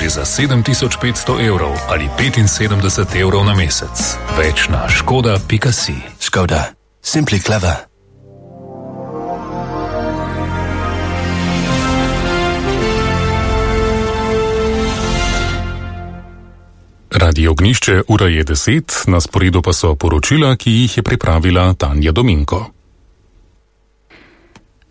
že za 7500 evrov ali 75 evrov na mesec. Več na škoda.si. Škoda. Simply clever. Radio Ognišče, ura je 10, na sporedu pa so poročila, ki jih je pripravila Tanja Dominko.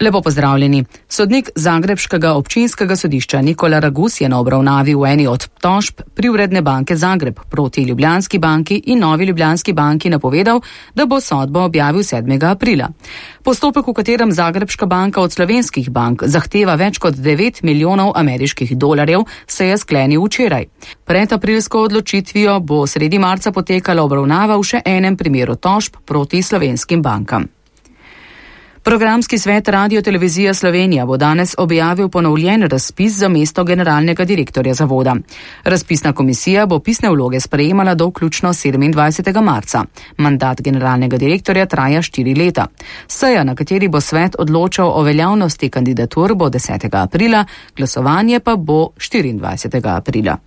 Lepo pozdravljeni. Sodnik Zagrebškega občinskega sodišča Nikola Ragus je na obravnavi v eni od tožb Privredne banke Zagreb proti Ljubljanski banki in Novi Ljubljanski banki napovedal, da bo sodbo objavil 7. aprila. Postopek, v katerem Zagrebška banka od slovenskih bank zahteva več kot 9 milijonov ameriških dolarjev, se je sklenil včeraj. Pred aprilsko odločitvijo bo sredi marca potekala obravnava v še enem primeru tožb proti slovenskim bankam. Programski svet Radio-televizija Slovenija bo danes objavil ponovljen razpis za mesto generalnega direktorja zavoda. Razpisna komisija bo pisne vloge sprejemala do vključno 27. marca. Mandat generalnega direktorja traja 4 leta. Seja, na kateri bo svet odločal o veljavnosti kandidatur, bo 10. aprila, glasovanje pa bo 24. aprila.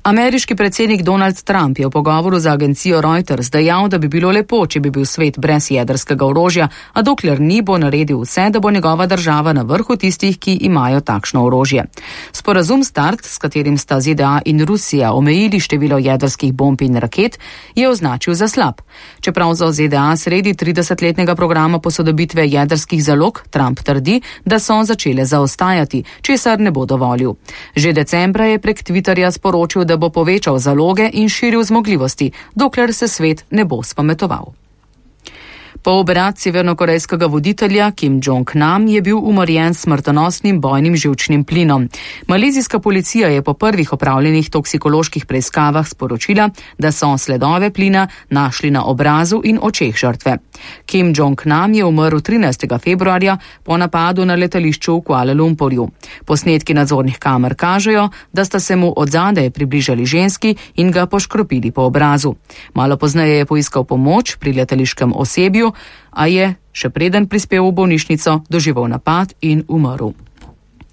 Ameriški predsednik Donald Trump je v pogovoru za agencijo Reuters dejal, da bi bilo lepo, če bi bil svet brez jedrskega orožja, a dokler ni, bo naredil vse, da bo njegova država na vrhu tistih, ki imajo takšno orožje. Sporazum START, s katerim sta ZDA in Rusija omejili število jedrskih bomb in raket, je označil za slab. Čeprav za ZDA sredi 30-letnega programa posodobitve jedrskih zalog, Trump trdi, da so začele zaostajati, česar ne bo dovolil. Že decembra je prek Twitterja sporočil, da bo povečal zaloge in širil zmogljivosti, dokler se svet ne bo spametoval. Po obrat severnokorejskega voditelja Kim Jong-nam je bil umorjen s smrtonosnim bojnim živčnim plinom. Malezijska policija je po prvih opravljenih toksikoloških preiskavah sporočila, da so sledove plina našli na obrazu in očeh žrtve. Kim Jong-nam je umrl 13. februarja po napadu na letališču v Kuala Lumpurju. Posnetki nadzornih kamer kažejo, da sta se mu odzadaj približali ženski in ga poškropili po obrazu. Malo pozneje je poiskal pomoč pri letališkem osebju, a je, še preden prispel v bolnišnico, doživel napad in umrl.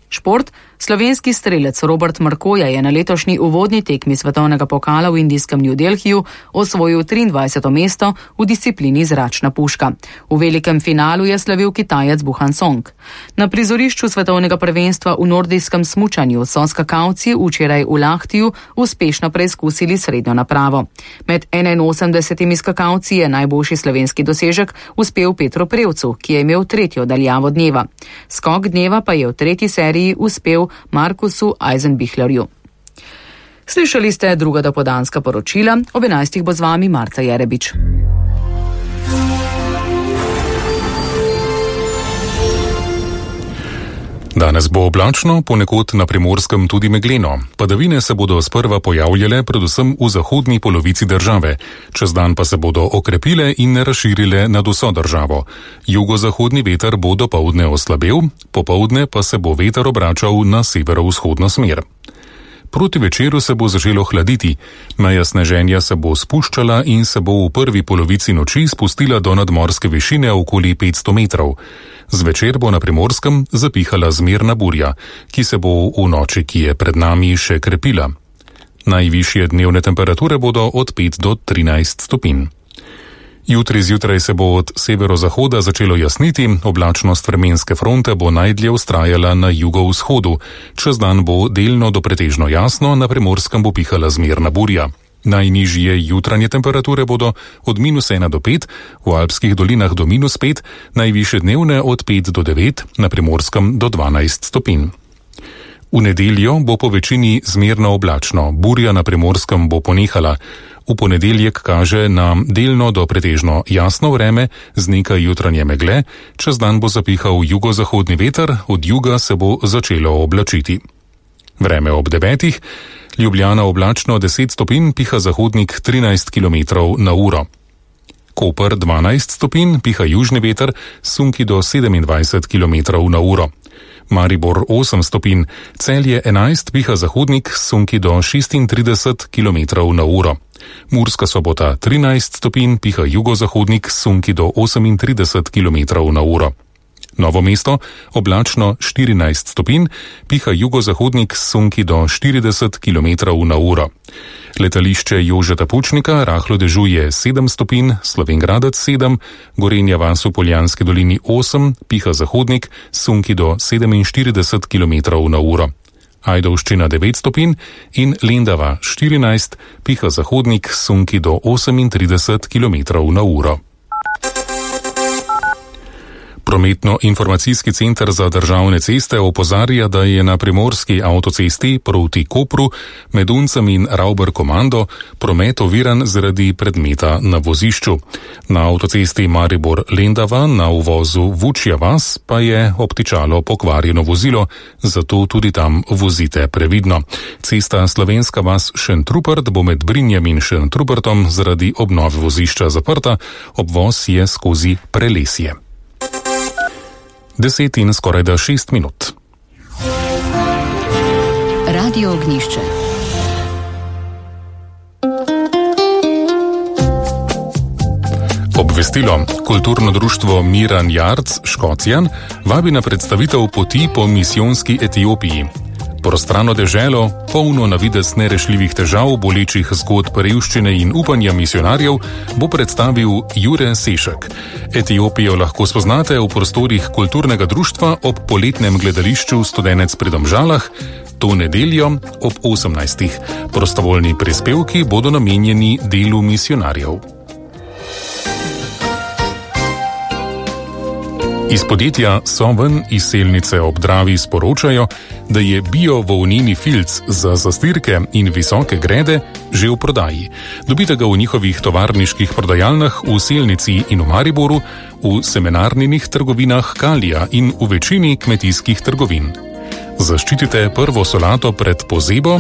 Šport. Slovenski strelec Robert Markoja je na letošnji uvodni tekmi svetovnega pokala v indijskem New Delhiju osvojil 23. mesto v disciplini zračna puška. V velikem finalu je slavil Kitajec Buhan Song. Na prizorišču svetovnega prvenstva v nordijskem smučanju so skakalci včeraj v Lahtiju uspešno preizkusili srednjo napravo. Med 81 skakalci je najboljši slovenski dosežek uspel Petru Prevcu, ki je imel tretjo daljavo dneva. Skok dneva pa je v tretji seriji uspel Markusu Eisenbichlerju. Slišali ste druga dopoldanska poročila, ob 11. bo z vami Marta Jerebič. Danes bo oblačno, ponekod na Primorskem tudi megleno. Padavine se bodo sprva pojavljale predvsem v zahodni polovici države. Čez dan pa se bodo okrepile in razširile nad vso državo. Jugozahodni veter bo dopoldne oslabel, popoldne pa se bo veter obračal na severovzhodno smer. Proti večeru se bo začelo hladiti, meja sneženja se bo spuščala in se bo v prvi polovici noči spustila do nadmorske višine okoli 500 metrov. Zvečer bo na Primorskem zapihala zmerna burja, ki se bo v noči, ki je pred nami, še krepila. Najvišje dnevne temperature bodo od 5 do 13 stopinj. Jutri zjutraj se bo od severozahoda začelo jasniti, oblačnost vremenske fronte bo najdlje vztrajala na jugovzhodu. Čez dan bo delno do pretežno jasno, na Primorskem bo pihala zmerna burja. Najnižje jutranje temperature bodo od -1 do 5, v alpskih dolinah do -5, najvišje dnevne od 5 do 9, na Primorskem do 12 stopinj. V nedeljo bo po večini zmerno oblačno, burja na Primorskem bo ponehala. V ponedeljek kaže na delno do pretežno jasno vreme z nekaj jutranje megle, čez dan bo zapihal jugozahodni veter, od juga se bo začelo oblačiti. Vreme ob 9. Ljubljana oblačno 10 stopinj, piha zahodnik 13 km na uro. Koper 12 stopinj, piha južni veter, sunki do 27 km na uro. Maribor 8 stopinj, Celje 11, piha zahodnik, sunki do 36 km na uro. Murska Sobota 13 stopinj, piha jugozahodnik, sunki do 38 km na uro. Novo Mesto oblačno 14 stopinj, piha jugozahodnik s sunki do 40 km/h. Letališče Jožeta Pučnika rahlo dežuje 7 stopinj, Slovenj Gradec 7, Gorenja vas v Poljanski dolini 8, piha zahodnik s sunki do 47 km/h. Ajdovščina 9 stopinj in Lendava 14, piha zahodnik s sunki do 38 km/h. Prometno-informacijski center za državne ceste opozarja, da je na primorski avtocesti proti Kopru med Uncem in Ravber-Komando promet oviran zaradi predmeta na vozišču. Na avtocesti Maribor-Lendava na uvozu Vučja vas pa je obtičalo pokvarjeno vozilo, zato tudi tam vozite previdno. Cesta Slovenska vas Šentrupert bo med Brinjem in Šentrupertom zaradi obnove vozišča zaprta, obvoz je skozi Prelesje. 10 in skorajda 6 minut. Radio Ognjišče. Obvestilo. Kulturno društvo Miran Jarc Škocjan vabi na predstavitev Poti po misijonski Etiopiji. Prostrano deželo, polno na videz nerešljivih težav, bolečih zgodb revščine in upanja misionarjev, bo predstavil Jure Sešek. Etiopijo lahko spoznate v prostorih kulturnega društva ob poletnem gledališču Studenec pri Domžalah, to nedeljo ob 18. Prostovoljni prispevki bodo namenjeni delu misionarjev. Iz podjetja Soven iz Selnice ob Dravi sporočajo, da je bio-volneni filc za zastirke in visoke grede že v prodaji. Dobite ga v njihovih tovarniških prodajalnah v Selnici in v Mariboru, v semenarninih trgovinah Kalija in v večini kmetijskih trgovin. Zaščitite prvo solato pred pozebo